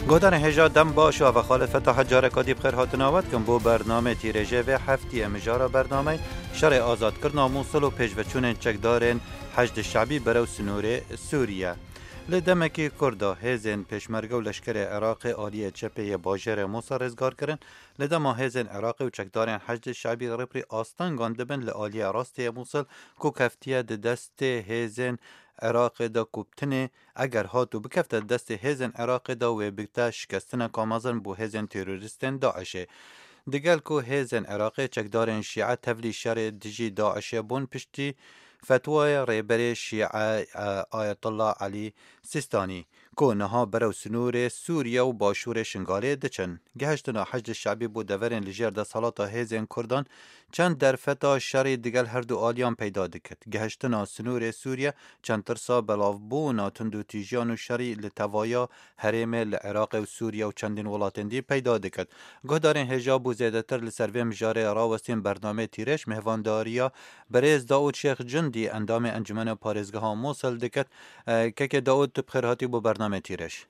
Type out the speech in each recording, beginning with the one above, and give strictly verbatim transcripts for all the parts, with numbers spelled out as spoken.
Guhdarên hêja dem baş û eva xalifeta hecareka dî bi xêr hatina we dikim bo bernamê tîrêjê vê heftiyê. Mijara bernamey şerê azadkirina Mûsil û pêşveçûnên çekdarên Heşdê Şebî berew sinûrê Sûriye. Li demekî kurt de hêzên pêşmerge û leşkerê Iraqê aliyê çepê yê bajêrê Mûsil rêzgar kirin. Li dema hêzên Iraqê û çekdarên Heşdê Şebî rêprî astengan dibin li aliyê rastê yê Mûsil ku keftiye di destê hêzên Iraqê de ku bi tinê eger hat û bikefte destê hêzên Iraqê de wê bikte şikestineka mezin bo hêzên terorîstên DAIŞê. Digel ku hêzên Iraqê çekdarên Şîe tevlî şerê dijî DAIŞê bûn piştî fetwaya rêberê Şîe, e, Ayetullah Elî Sîstanî, ku niha berew sinûrê Sûriye û başûrê Şingalê diçin. Gihiştina Heşdê Şebî bo deverên li jêr desthelata hêzên Kurdan çend derfeta şerî digel her du aliyan peyda dikit. Gihiştina sinûrê Sûriye çend tirsa belavbûna tundûtîjiyan û şerî li tevaya herêmê li Iraqê û Sûriye û çendîn welatên dî peyda dikit. Guhdarên hêja bo zêdetir li ser vê mijarê rawestîn bernameyê Tîrêj mêhvandariya birêz Daûd Şêx Cundî, endamê Encûmena Parêzgeha Mûsil dikit. E, kekê Daûd, tu bi xêr hatî bo bernameyê Tîrêj.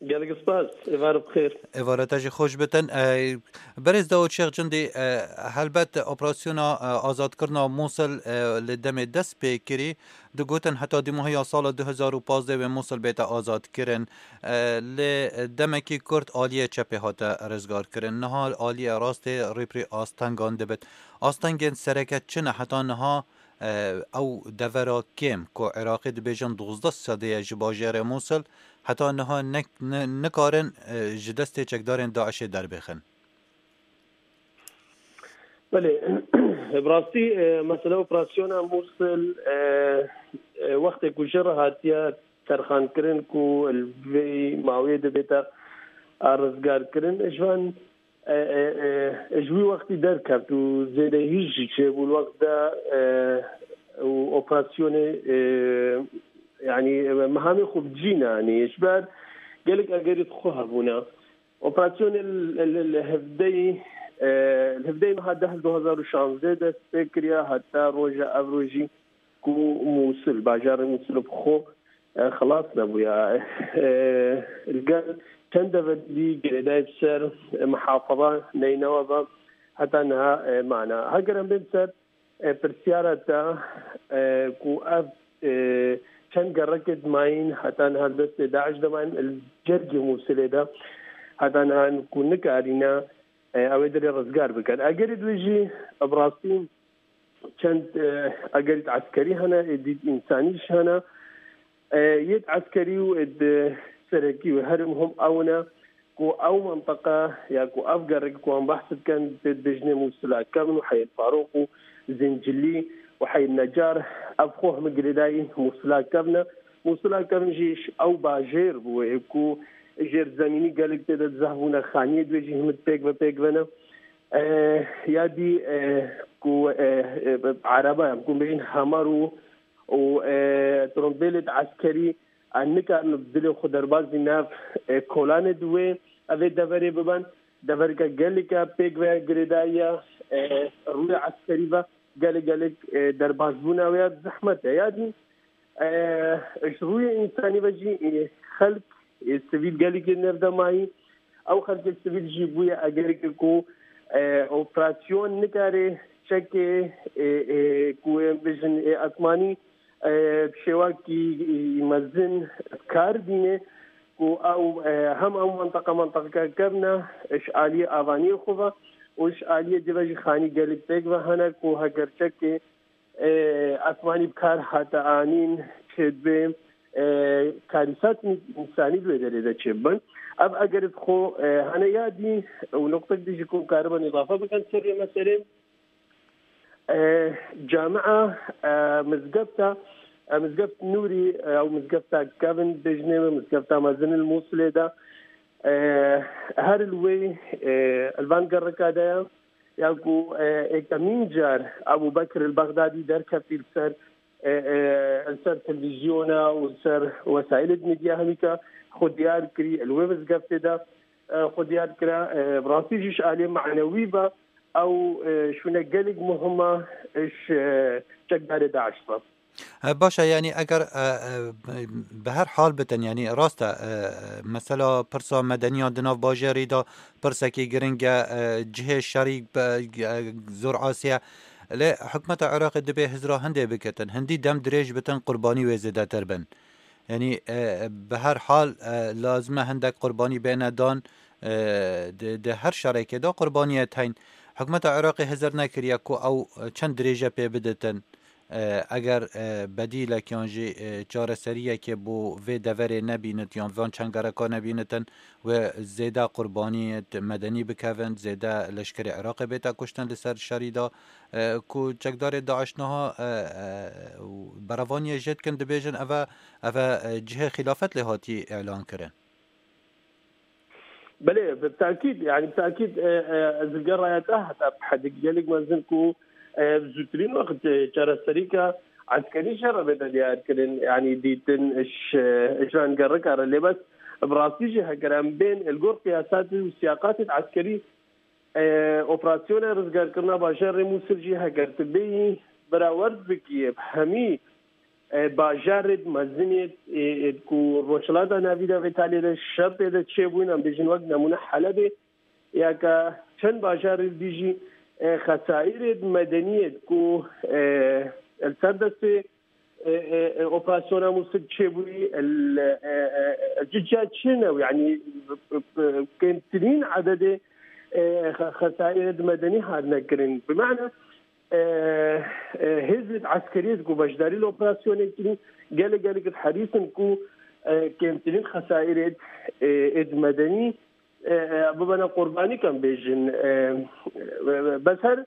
Gelek spas. Êvar bi xêr. Êvara te jî xweş bitin. E, Berêz Daûd Şêx Cundî, e, helbet operasyona, e, azadkirina Mûsil, e, li demê dest pê kirî, digotin heta dîmahiya sala du hezar û pazdeh wê Mûsil bête azadkirin. E, li demekî kurt aliyê çepê hate rizgarkirin. Niha aliyê rastê rêprî astengan dibit. Astengên sereke çi ne heta niha? E, ew devera kêm ku Iraqê dibêjin duwazdeh sedê ye ji bajêrê Mûsil, heta niha nek-, ni-, nikarin, e, ji destê çekdarên DAIŞê derbêxin. Belê, bi rastî, e, mesela operasyona Mûsil, e, e, wextê ku jê re hatiye terxankirin ku li vê mawê dibête rizgarkirin, ji van e, e, e, ji wî wextî derkeft û zêdehî jî çêbû li wext de, e, û operasyonê, e, yanî, e, mehamê xwe bi cî nanî. Ji ber gelek egerî xwe hebûne. Operasyonê li, li, li hevdeyî, e, li hevdeyî meha deh du hezar û şazdeh dest pê kiriye, heta roja ev rojî ku Mûsil, bajarê Mûsil bi xwe, e, xilas nebûye. E, li gel çend deverî dî girêdayî bi ser, e, mihafaza Neynewe ve heta niha, e, mane. Heger em bên ser, e, pirsyara te, e, ku ev, e, çend gerekê dimayîn heta niha li destê DAIŞ de mayîn, li cergê Mûsilê de heta niha ku nikarîne, e, ew ê dilê rizgar bikin. Egerê dibêjî, bi rastî, çend, e, egerî eskerî hene, êdî însanî jî hene. E, yêd eskerî û êd serekî û her muhim ew ne ku ew menteqe ya ku ev gerek ku em behs dikin, tê dibêjinê Mûsila Kevn û Heyê Farûq û Zincilî û Heyê Necar, ev xwe hemî girêdayî Mûsila Kevn e. Mûsila Kevn jî ji ew bajêr bû, ê ku jêrzemînî gelek tê de zehf bûne, xaniyê dibêjî hemî pêk ve pêk ve ne. E, ya dî, e, ku, e, e, bi ereba, em ku bêjin hemar û, û, e, trombêlê di eskerî, e, nikarin bi dilê xwe derbazî nav, e, kolanê di wê, ev ê deverê biben. Devereke geleke pêk ve girêdayî ye, e, rûyê eskerî ve gelek gelek, e, derbazbûna wê ya zehmet e. Ya dî, e, ji rûyê însanî ve jî, e, xelk, e, sivîl gelekê nev de mayî. Ew xelkê sivîl jî bûye egereke ku, e, operasyon nikare çekê, e, e, ku em bijin, e, asmanî, e, bi şêwakî, e, mezin bi kar dîne, ku ew, e, hem ew menteqa menteqeke kevn e, ji aliyê avaniyê xwe ve û ji aliyê dî ve jî xanî gelek pêk ve hene ku heger çekê e, asmanî bi kar hate anîn, çêdibê, e, karîsat însanî di wê derê de çêbibin. Ev eger bi xwe, e, hene ya dî û noqtek dî jî ku karibin îdafe bikin ser vê meselê. E, camia, e, mizgefta, e, mizgeft Nûrî, e, ew mizgefta kevin bêjinê me, mizgefta mezin li Mûsilê de, e, her li wê, e, li van gereka de ye. Ya ku, e, êkemîn car Ebû Bekir el-Bexdadî derketî li ser, e, e, li ser televîzyona û li ser wesaîlê medya hemîka xwe diyar kirî, li wê mizgeftê de, e, xwe diyar kira, e, bi rastî jî ji aliyê manewî ve ew, e, şûne gelek muhim e, ji, e, çekdarê DAIŞ ve. He, baş e, yanî eger, e, e, bi her hal bitin, yanî rast e, e, mesela pirsa medeniyan di nav bajêrî de pirsekî giring e, e, cihê şerî be, e, zor asî ye. Lê hikûmeta Iraqê dibê hizra hindê bikitin, hindî dem dirêj bitin, qurbanî wê zêdetir bin. Yanî, e, bi her hal, e, lazim e hindek qurbanî bêne dan, e, di, di her şerekê de qurbaniyê teyn. Hikûmeta Iraqê hizir nekiriye ku ew çend dirêje pê biditin. E, eger, e, bedîlek yan jî, e, çareseriyekê bo vê deverê nebînit yan van çengereka nebînitin, wê zêde qurbaniyê medenî bikevin, zêde leşkerê Iraqê bête kuştin li ser şerî de, e, ku çekdarê DAIŞ niha, e, e, û berevaniyê jê dikin, dibêjin eve, eve, e, cihê xilafet lê hatî îlan kirin. Belê, bi tekîd, yani bi tekîd, e, e, ez li gel raya te heta bi hedek gelek mezin ku, e, bi zûtirîn wext, e, çareserîka eskerî jê re bête diyarkirin, yani dîtin, iş, e, iş vengerika re. Lê bes bi rastî jî heger em bên li gor qiyasatê û siyaqatê eskerî, e, operasyonê rizgarkirina bajarê Mûsil jî heger tu bêyî berawerd bikî bi hemî e, bajarê mezin ê, ê, ê, ku Rojhilata Navîn de vê talê de şer tê de çêbûn, em bêjin wek nemûne Helebê, ya ka çend bajarê dî jî, e, xesaîrê medenî yê ku, e, li ser destê, e, e, e, operasyona Mûsil çêbûyî, el, e, e, e, cica çêne, yani, kêmtirîn ededê, e, xe-, xesaîrê medenî hatine kirin. Bi mane, e, e, hêzên eskerî ku beşdarî li operasyonê kirî, gelek gelek herîs in ku, e, kêmtirîn xesaîrê, e, êd medenî, e, e, bibene qurbanî, em bêjin. E, e, bes her,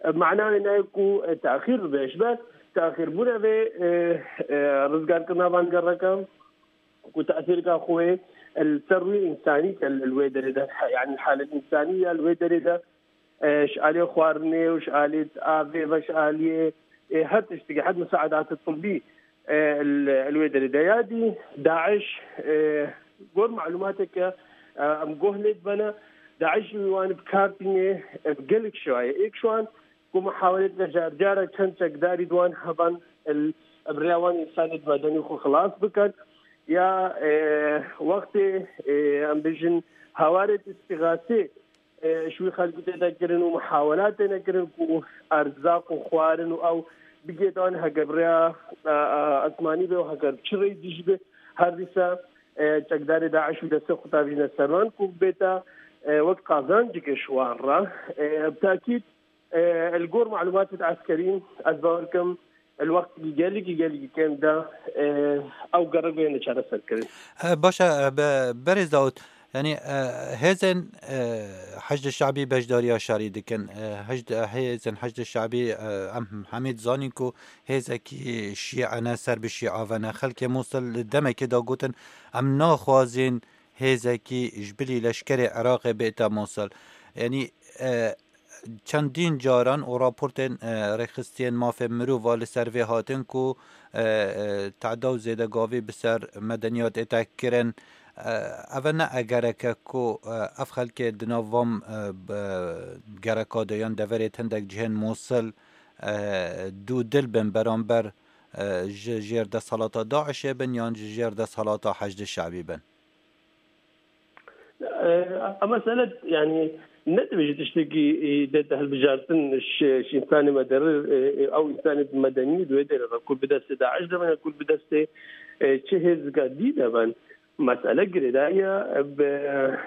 e, mana wê nayê ku, e, texîr bibe. Ji ber texîrbûna vê, e, e, rizgarkirina van gereka ku tesîrka xwe li ser rûyê însanî ke li wê derê de, yani halet însanî ya li wê derê de, e, ji aliyê xwarinê û ji aliyê avê ve ji aliyê, e, her tiştekî, her misaedatê tibbî, e, li, li wê derê de. Ya dî DAIŞ, e, gor malumateke, e, em guh lê dibene, DAIŞ jî wan bi kar tîne, e, bi gelek şewayê. Êk ji wan ku muhawelêt ve car cara çend çekdarî di wan hevan, e, bi rêya wan însanê medenî xwe xilas bikin. Ya, e, wextê, e, em bijin hawarê îstîxasê, e, ji wî xelkî tê de kirin û muhawela têne kirin ku erzaq û xwarin û ew bigêdan, heger bi rêya, e, e, esmanî be û heger bi çi rêyî dî jî be, her dîsa, e, çekdarê DAIŞ û destê xwe tavîne ser wan ku bête, e, wek qazancekê ji wan re. E, bi tekîd, e, li gor malumatê eskerî, ez bawer kim, li wextekî gelekî, gelekî kêm de, e, ew gerek bêne çareserkirin. E, baş e, be-, berêz Dawud, yanî, e, hêzên, e, Heşdê Şabî beşdariya şerî dikin. E, Heşd-, hêzên Heşdê Şabî, e, em hemî dizanîn ku hêzekî şîe ne, ser bi şîa ve ne. Xelkê Mûsil li demekê de gotin, em naxwazin hêzekî ji bilî leşkerê Iraqê bête Mûsil. Yanî, e, çendîn caran û raportên, e, rêxistiyên mafê mirov a li ser vê hatin ku, e, e, teda û zêdegavî bi ser medeniyat ête kirin. E, ev ne egereke ku, e, ev xelkê di nav van, e, b-, gereka de yan deverê hindek cihên Mûsil, e, dûdil bin beramber, e, ji jêr desthelata DAIŞê bin yan ji jêr desthelata Heşdê Şabî bin. E, Ama mesele, yani, ne dibêje tiştekî, e, dête hilbijartin ji, ji însanê medeni, e, e, ew însanê medenî di wê derê de ku bi destê DAIŞ de bin, ku bi destê, e, çi hêzika dî de bin. Mesele girêdayî ye, bi, e,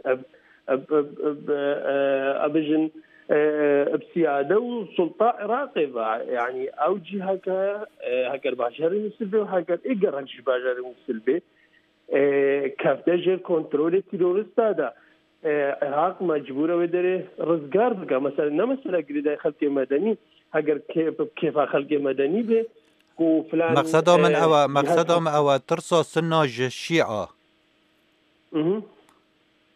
e, e, e, e, e, bijin, e, e, bi siyade û sulta Iraqê ve. Yani, ew cî heke, e, heger bajarê Mûsil be û heger ê gerek ji bajarê Mûsil be, e, kefte jêr kontrolê terorista de, e, Iraq mecbûr e wê derê rizgar bike. Mesela, ne mesela girêdayî xelkê medenî, heger kê-, kêfa xelkê medenî be, ku filan, Mexseda min e, ew e, cihaz mexseda min ew e, tirsa Sunna ji Şîa. Mhm.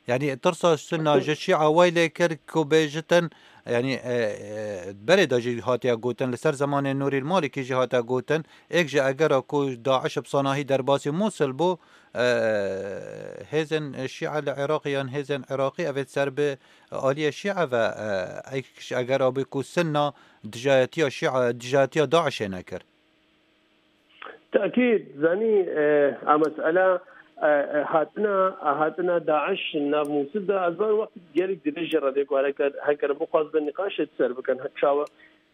Yani, tirsa Sunna ji Şîa way lê kir ku bêjitin, yani, e, e, berê de jî hatiye gotin, li ser zemanê Nûrî Malikî jî hatiye gotin, êk ji egera ku DAIŞ bi sanahî derbasî Mûsil bû, e, hêzên Şîa li Iraqê yan hêzên Iraqî evê ser bi aliyê Şîa ve, e, êk ji egera bû ku Sunna dijayetiya Şîa, dijayetiya DAIŞê nekir. Tekîd, zanî, e, a mesela, e, e, hatina, a hatina Daiş nav Mûsil de, ez van wextî gelek dirêj jê re dê ku hereke-, heker bixwaz be nîqaşê ser bikin. Çawa,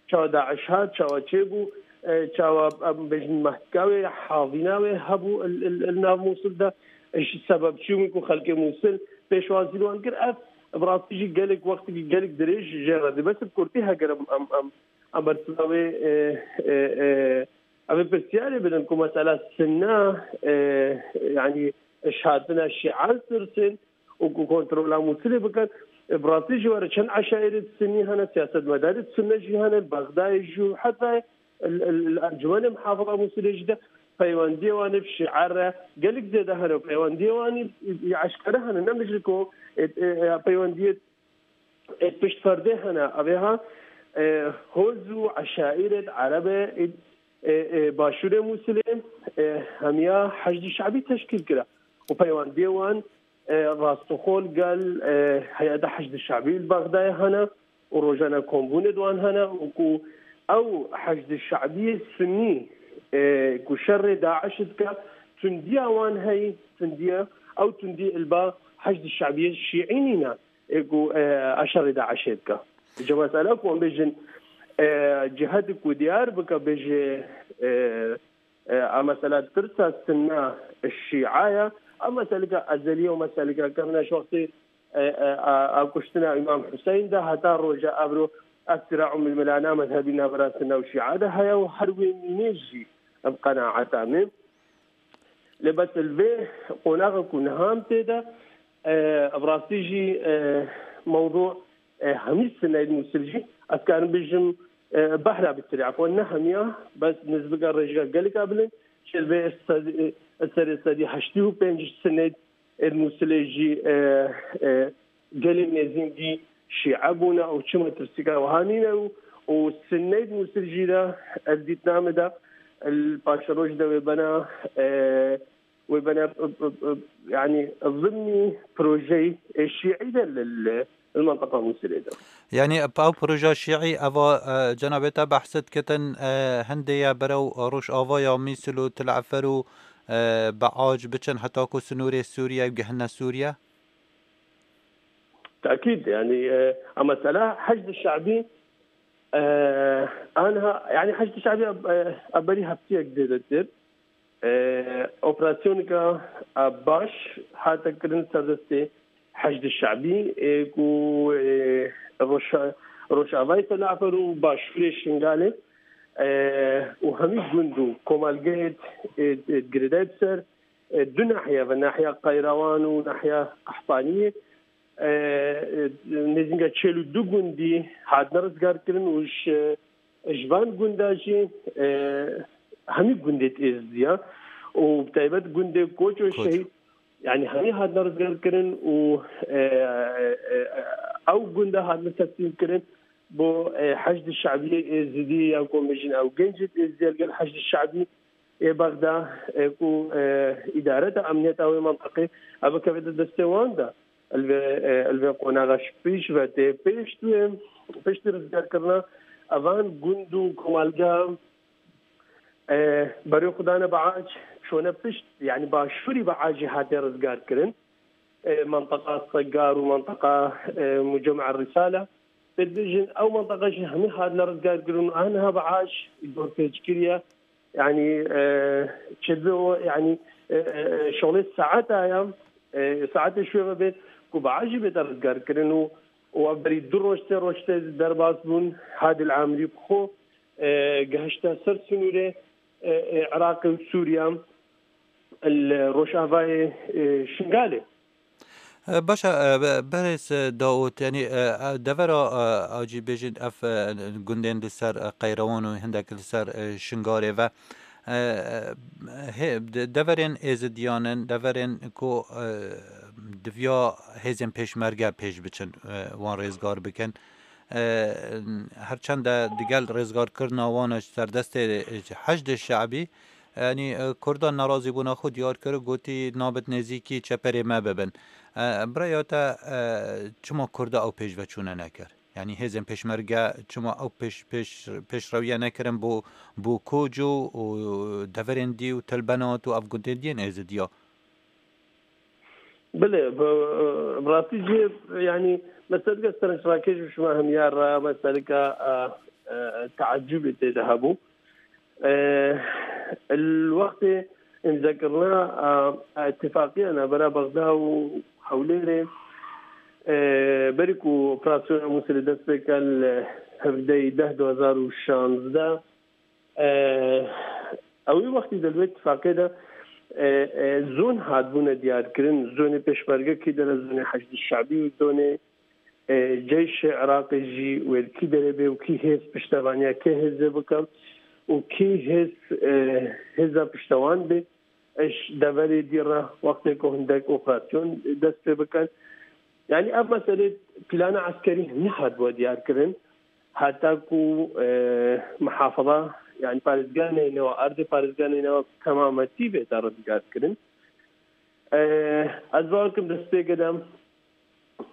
çawa Daiş hat, çawa çêbû, e, çawa, em bêjin, mehtika wê, hazîna wê hebû il, il, il nav Mûsil de. E, ji sebeb çi bû ku xelkê Mûsil pêşwazî li wan kir? Ev, bi rastî jî gelek wextî, gelek dirêj jê re dê. Bes bi kurtî heger em, em, em, em bersiva wê, e, e, e, Ev ê pirsiyarê bidin ku mesela Sinne, e, yanî ji hatina Şîa tirsin û ku kontrola Mûsilê bikin. E, bi rastî jî were çend eşaîrê Sinnî hene, siyasetmedarê Sinne jî hene, li Bexdayê jî û heta li, li, li Encûmenê Mihafaza Mûsilê jî de peywendiyê wan ê bi Şîa re gelek zêde hene û peywendiyê wan ê, ê eşkere hene, ne mijî ku, e, e, e, peywendiyê ê pişt perdê hene. Evê ha, e, hoz û eşaîret erebe ê, e, e, başûrê Mûsilê, e, hemiya Heşdî Şebî teşkîl kira. Û peywendiyê wan, e, rastixol gel, e, heyeta Heşdî Şebî li Bexdayê hene û rojane kombûnê di wan hene û ku ew Heşdî Şebiyê Sunnî, e, ku şerê Daiş dike, tundiya wan heyî, tundiya, ew tundî li ba Heşdî Şebiyê Şîî nîne. Ê ku, e, a şerê DAIŞê dike. Ji mesela ku em bêjin, e, cihedik ku diyar bike, bêje, e, e, a mesela tirsa Sinna Şîa ye, a meseleke ezeliye û meseleke kevne ji wextê, e, e, a, a kuştina Îmam Hüseyin de heta roja evro ev sira û milmilana mezhebî navbera Sinna û Şîa de heye û her wê mînê jî em qenaeta me. Lê bes li vê qonaxa ku niha em tê de, e, bi rastî jî, e, mewdû, e, hemî sineyên Mûsil jî, ez karim bijim, e, behra bitirî. Efwan ne hemiya, bes nizbika rêjga geleka bilind, ji vê sedî, e, serê sedî heştê û pênc sineyên Mûsilê jî, e, e, gelê nêzîngî Şîe bûne û çi metirsîka wiha nîne û, û Sinneyê di Mûsil jî de, ez dîtina min de, li paşeroja de wê bena, e, wê bena, e, e, e, yanî zimnî projeyê, e, Şîî de li, li, li menteqa Mûsilê de. Yanî ev proja Şîî eva, e, cenabê te behs dikitin, e, hindê ye berew Rojavaya Mûsil û Til Efer û, e, Beac biçin heta ku sinûrê Sûriye û gihine Sûriye? Tekîd, yanî, e, a mesela Heşd Şebî, e, anha, yanî Heşd Şebî, e, a berî heftiyek zêdetir, e, operasyoneka, e, baş hate kirin ser destê Heşd Şebî, e, ku, e, Roşa-, Rojavayê Felafer û Başûrê Şingalê, e, û hemî gund û komelgehê, e, e, girêdayî bi ser, e, du nahiye ve, nahiya Qayrawan û nahiya Qehtaniyê, e, e, nêzînga çil û du gundî hatine rizgarkirin û ji, ji van gunda jî, e, hemî gundê Êzidiya û bi taybet gundê Koç û Koç. Şehîd, yanî hemî hatine rizgarkirin û, e, e, e, ew gunda hatine teslîmkirin bo, e, Heşd Şebiyê Êzidî ya ku em bêjin ew gencê Êzidî ya li gel Heşd Şebî ê Bexda, e, ku, e, îdareta emniyeta wê menteqê ev bikevete destê wan de. Li vê, e, li vê qonaxa ji pêş ve tê pêşt wê, piştî rizgarkirina evan gund û komelga, e, berê xwe dane Beac, çûne pişt, yanî başûrî Beacê hate rizgarkirin. E, menteqa Segar û menteqa, e, Mucema Risale. Tê dibêjin ew menteqa jî hemî hatine rizgarkirin û aniha Beac dorpêçkirî ye. Yanî, e, çêdibe o, yanî, e, e, e, şolê saeta ya, e, saetê şûyê ve bê ku Beac jî bête rizgarkirin û, û ev berî du roj, sê roj tê derbas bûn, Hadil Amrî bi xwe, e, gihişte ser sinûrê, e, e, Iraqê û Sûriye, li Rojavayê, e, Şingalê. E, baş e, e, be-, berêz, e, Daûd, yanî, e, e, devera, e, a cî bêjin ev, e, gundên li ser, e, Qeyrewan û hindek li ser, e, Şingalê ve, e, e, hê-, de-, deverên êzidiyan in, deverên ku, e, diviya hêzên pêşmerge pêş biçin, e, wan rêzgar bikin. E, her çend de digel rêzgarkirina wan ji serdestê, e, Heşdê Şe'bî, yanî, e, Kurdan nerazîbûna xwe diyar kir û gotî, nabit nêzîkî çeperê me bibin. E, bi raya te, e, çima Kurda ew pêşveçûne nekir? Yanî hêzên pêşmerge çima ew pêş, pêş, pêşrewiye nekirin bo, bo Koco û deverên dî û Tilbenat û ev gundên diyên Êzidiya? Belê, bi, bi rastî jî, yanî, meselika serenc rakêş û şima hemiyar re, meselika, e, e, teacubê tê de hebû. E, li wextê îmzekirina, e, îtifaqiya navbera Bexda û Hewlêrê, e, berî ku operasyona Mûsilê dest pê ke li hevdeyî deh du hezar û şazdeh, e, ew ê wextî de li wê tifaqê de, e, e, zon hatbûne diyarkirin, zonê pêşmerge kî de ne, zonê Heşdî Şebî û zonê, e, Ceyşê Iraqê jî wê li kî derê bê û kî hêz piştevaniya kê hêzê bike û kî hêz, e, hêza piştewan bê. Eş deverê dî re wextê ku hindek operasyon dest pê bikin. Yanî ev meselê plana eskerî nehatbû diyarkirin. Heta ku, e, muhafaza, yanî parêzgeha neynewa, erdê parêzgeha neynewa temametî bête rizgarkirin. E, ez bawer kim destpêkê de,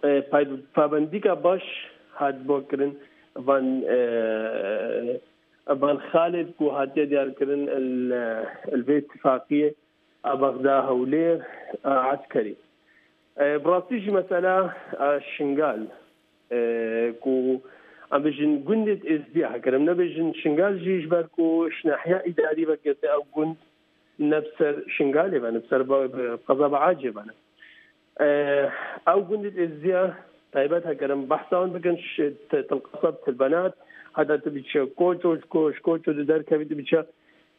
e, pay-, pabendîka baş hatibû kirin van, e, van xalê ku hatiye diyarkirin li, li vê tifaqiyê a Bexda Hewlêr a eskerî. E, bi rastî jî mesela, e, Şingal, e, ku em bêjin gundê Êzdiya, heger em nebêjin Şingal jî, ji ber ku ji nahiya îdarî vekirte ew gund ne bi ser Şingalê ve ne, bi ser ba-, bi qeza Biacê ve ne. E, ew gundê Êzdiya taybet heger em behsa wan bikin, ş-, T-, Tilqasab, Tilbenat, heta tu biçe Koço, ji Ko-, ji Koço tu derkevî tu biçe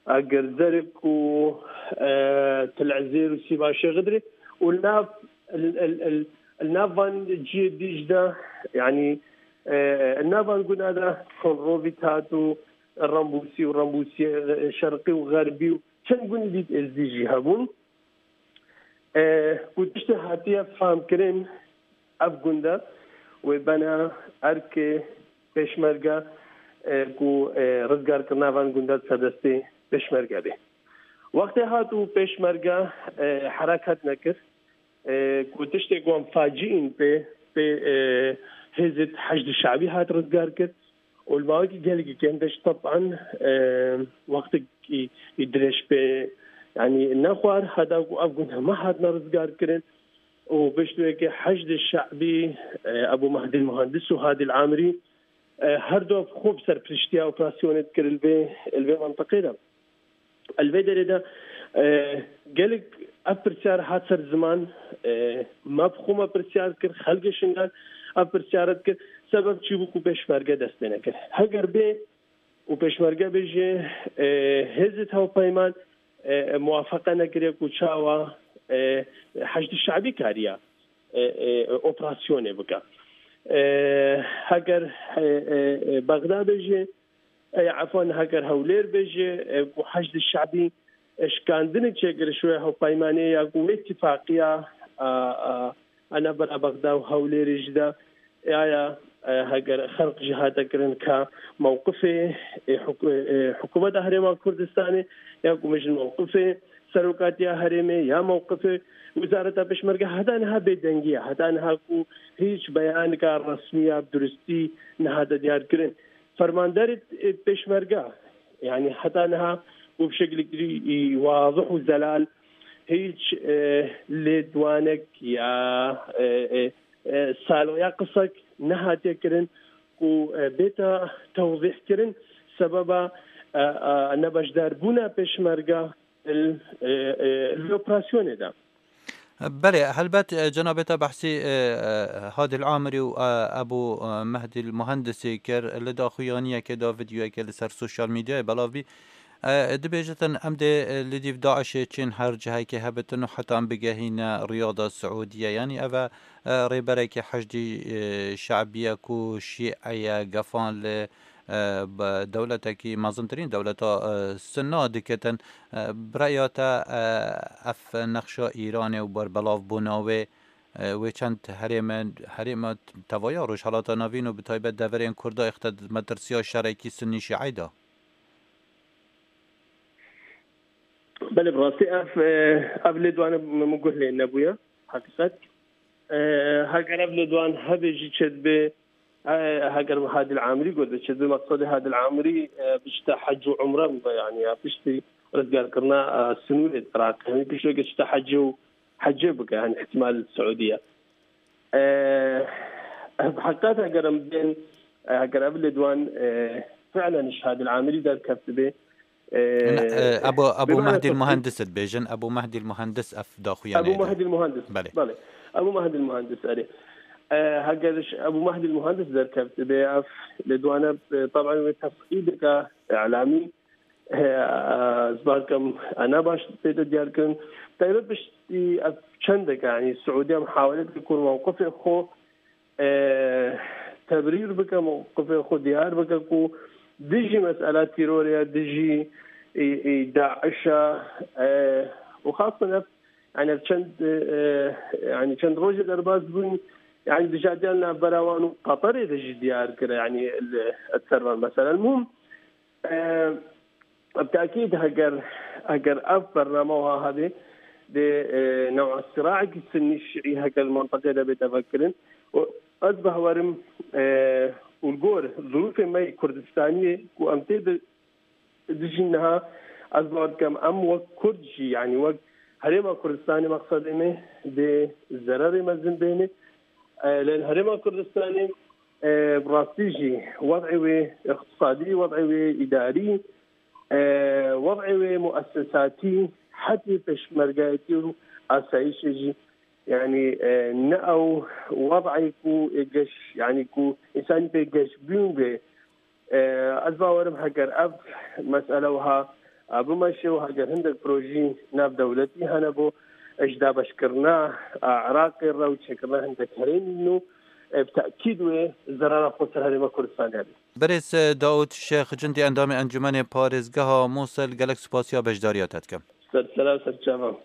Agirzerik û, e, Til Ezêr û Sîva Şêxidrê û li nav, li, li, li, li nav van cihê dî jî de, yanî, e, li nav van guna de Konrovî tat û Rambûsî û Rambûsî, e, Şerqî û Xerbî û çend gundî dît Êzdî jî hebûn. E, ku tiştê hatiye fehmkirin, ev gund e wê bene erkê pêşmerge, e, ku, e, rizgarkirina van gunda di ser destê pêşmerge bê. Wextê hat û pêşmerge, e, herekat nekir, e, ku tiştê ku em faciîn pê, pê, e, hêzê Heşdî Şe'bî hat rizgar kir, û li mawekî gelekî kêm de jî teban, e, wextekî dirêj pê, yanî nexwar, heta ku ev gund heme hatine rizgar kirin û piştwekê Heşdê Şe'bî, e, Ebû Mehdî Muhandis û Hadî Amirî, e, her du xwe bi serpiriştiya operasyonê dikir li vê, li vê mentiqê de. Li vê derê de, e, gelek ev pirsyar hat ser ziman, e, me bi xwe me pirsyar kir, xelkê Şingal ev pirsyar dikir, sebeb çi bû ku pêşmerge dest pê nekir? Heger bê û pêşmerge bêje, e, hêzê hevpeyman, e, muwafeqe nekiriye ku çawa, e, Heşdî Şe'bî kariya, e, e, operasyonê bike. E, heger, e, e, e, Bexda bêje, e, efwan, heger Hewlêr bêje, e, ku Heşdî Şe'bî, e, şikandinê çêkir ji wê hevpeymanê ya ku wê tifaqiya, a, a, a navbera Bexda û Hewlêrê jî de, e, aya, e, heger xelq jî hate kirin ka mewqifê, e, huk-, e, hikûmeta Herêma Kurdistanê ya ku mijin mewqifê serokatiya herêmê ya mewqifê Wezareta Pêşmerge heta niha bêdengî ye. Heta niha ku hîç beyanika resmî ya bi durustî nehate diyarkirin. Fermanderê, e, pêşmerge, yanî heta niha û bi şekilekî, e, wazih û zelal hîç, e, lêdwanek ya, e, e, e, salo ya qisek nehatiye kirin ku, e, bête tewzîh kirin sebeba, e, e, nebeşdarbûna pêşmerge li, e, e, li operasyonê de. Belê, helbet, e, cenabê te behsî, e, e, Hadî Amirî û, e, Ebû, e, Mehdî Muhendisî kir. Li daxuyaniyekê de, vîdeoyekê li ser sosyal medyayê belav bî. E, dibêjitin, em dê, e, li dîv DAIŞê çên her cihekê hebitin û heta em bigehîne Riyada Siûdiye. Yanî ev e, e, rêberekî Heşdî, e, Şe'bî ye ku Şîe ye, gefan li, e, bi dewletekî mezintirîn dewleta, e, Sunna dikitin. E, bi raya te, e, ev nexşa Îranê û berbelavbûna wê, e, wê çend herême, herêma tevaya Rojhelata Navîn û bi taybet deverên Kurda êxte di metirsiya şerekî Sunnî Şîe de? Belê, bi rastî ev, e, ev lêdwane min guh lê nebûye, heqîqet. E, heger ev lêdwan hebe jî çêdibe, Heger Hadil Amirî got, biçe bi maqsedê Hadil Amirî, e, bişte hec û umre bibe, yani ya piştî rizgarkirina, e, sinûrê Iraqê. Yanî piştî ke çite hecê û hecê bike, yani ihtimal Siûdiye. E, ev heqet heger em bên, e, heger ev lêdwan, e, fi'len ji Hadil Amirî derkevtibê, e, Ebu, Ebu bimane Mehdî tefsîl. Muhendis dibêjin, Ebu Mehdî Muhendis ev daxuyanê Ebu dide. Mehdî Muhendis. Belê. Belê. Ebu Mehdî Muhendis, erê. E, heger ji Ebu Mehdî Muhendis derkevtibê, ev lêdwane, e, taban wê tefsîl dike, îlamî, e, e, ez bakem, e, ne baş tê de diyar kirin. Taybet piştî ev çendeke, yani Siûdiye muhawele dike ku mewqifê xwe, e, tebrîr bike, mewqifê xwe diyar bike ku dijî mesela terorê ye, dijî, e, e, DAIŞ e, e, û xasan ev, yani ev çend, e, yani çend rojê derbas bûn, yani dijatiyan navbera wan û Qatarê de jî diyar kire, yani li, li ser van mesela. Muhim, e, bi tekîd heger, heger ev bername wiha hebe, dê, e, new'a siraekî sunnî şiî heger li mentiqê de bête vekirin. Û ez bawerim, e, û li gor zirûfê me yê Kurdistaniyê ku em tê de dijîn niha, ez bawer dikim em wek Kurd jî, yani wek Herêma Kurdistanê, maqsedê me dê zererê mezin bêne. E, lê li Herêma Kurdistanê, e, bi rastî jî wed'ê wê îqtisadî, wed'ê wê îdarî, e, wed'ê wê muessesatî, hetê pêşmergeyetî û asayîşê jî, yani, e, ne ew wed'ê ku ê geş, yani ku însanî pê geşbîn be. E, ez bawerim heger ev mesele wiha, e, bimeşe û heger hindek projî navdewletî hene bo, e, ji dabeşkirina, e, Iraqê re û çêkirina hindek herêmî nû, e, bi tekîd wê zerara xwe ser Herêma Kurdistanê hebe. Berêz, e, Daûd Şêx Cindî, endamê Encûmenê Parêzgeha Mûsil, gelek spasiya beşdariya te dikim. Ser sera û ser çavan.